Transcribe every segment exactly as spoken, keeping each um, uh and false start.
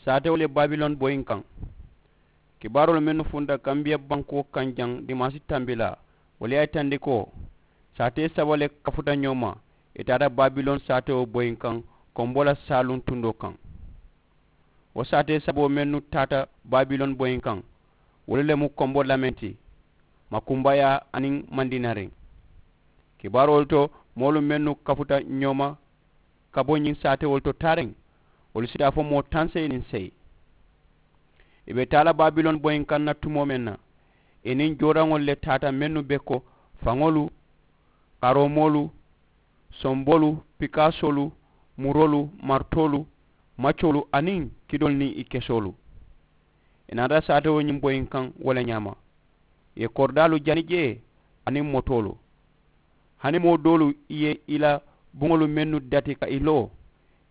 Saatewolu ye babiloni boyi n kaŋ. Kibaaroolu mennu funta kambiya bankoo kaŋ jaŋ dimaasi tambilaa, wolu ye a yitandi ko saatee saba le kafuta ñoo ma. Ì taata babiloni saatewo boyi n kaŋ, konbo la saaluŋ tundoo kaŋ. Wo saatee saboo mennu taata babiloni boyi n kaŋ, wolu le mu konbo lameŋ ti, makunbayaa aniŋ mandinariŋ. Kibaaroolu to, moolu mennu kafuta ñoo ma ka bo ñiŋ saatewolu to taariŋ, wolu si taa fo moo taŋ seyi niŋ seyi. Ì be taa la babiloni boyi n kaŋ na tumoo meŋ na, ì niŋ jooraŋolu le taata mennu be ko faŋolu, karoomoolu, somboolu, pikaasoolu, muroolu, maritoolu, macoolu aniŋ kidoolu niŋ ì kesoolu. Ì naata saatewo ñiŋ boyi n kaŋ wo le ñaama. Ì ye koridaalu jani jee aniŋ motoolu. Hani moo doolu ì ye ì la buŋolu mennu dati ka ì loo,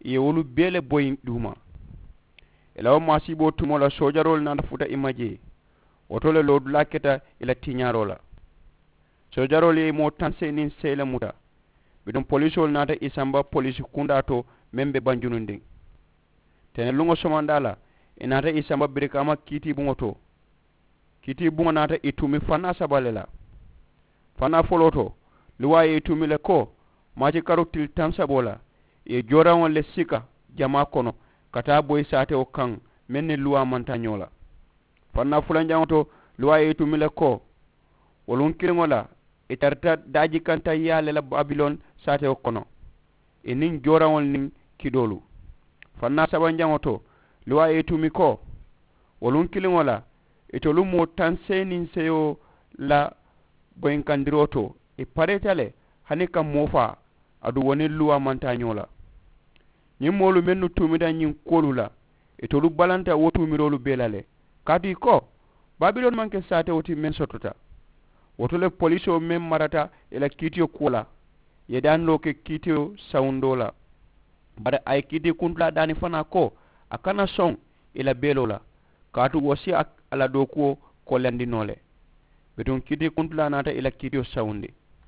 ì ye wolu bee le boyi duuma. Ì la wo maasiiboo tumoo la soojaroolu naata futa ì ma jee. Wo to le loodulaa keta ì la tiñaaroo la. Soojaroolu ye moo taŋ seyi niŋ seyi le muta. Bituŋ polisoolu naata ì samba polisi kundaa to meŋ be banjunundiŋ. Teneluŋo somandaa la, ì naata ì samba birikaama kiitiibuŋo to. Kiitiibuŋo naata ì tuumi fannaa saba le la. Fannaa foloo to, luwaa ye ì tuumi le ko maati karu tili taŋ saboo la, ì ye jooraŋo le sika jamaa kono ka taa boyi saatewo kaŋ meŋ niŋ luwaa maŋ taa ñoo la. Fannaa fulanjaŋo to, luwaa ye ì tuumi le ko wo luŋ kiliŋo la ì tarata daajikanta yaa le la babiloni saatewo kono, ì niŋ jooraŋolu niŋ kidoolu. Fannaa sabanjaŋo to, luwaa ye ì tuumi ko wo luŋ kiliŋo la itolu moo taŋ seyi niŋ seyo la boyinkandiroo to, ì pareeta le hani ka moo faa. Aduŋ wo niŋ luwaa maŋ taa ñoo la. Ñiŋ moolu mennu tuumita ñiŋ kuwolu la, itolu balanta wo tuumiroolu bee la le. Kaatu ì ko babiloni maŋ ke saatewo ti meŋ sotota. Wo to le polisoo meŋ marata ì la kiitiyo kuwo la ye daaniloo ke kiitiyo sawundoo la. Bari a ye kiitii kuntulaa daani fanaa ko a kana soŋ ì la beeloo la, kaatu wo si a la dookuwo kolendi noo le. Bituŋ kiitii kuntulaa naata ì la kiitiyo sawundi.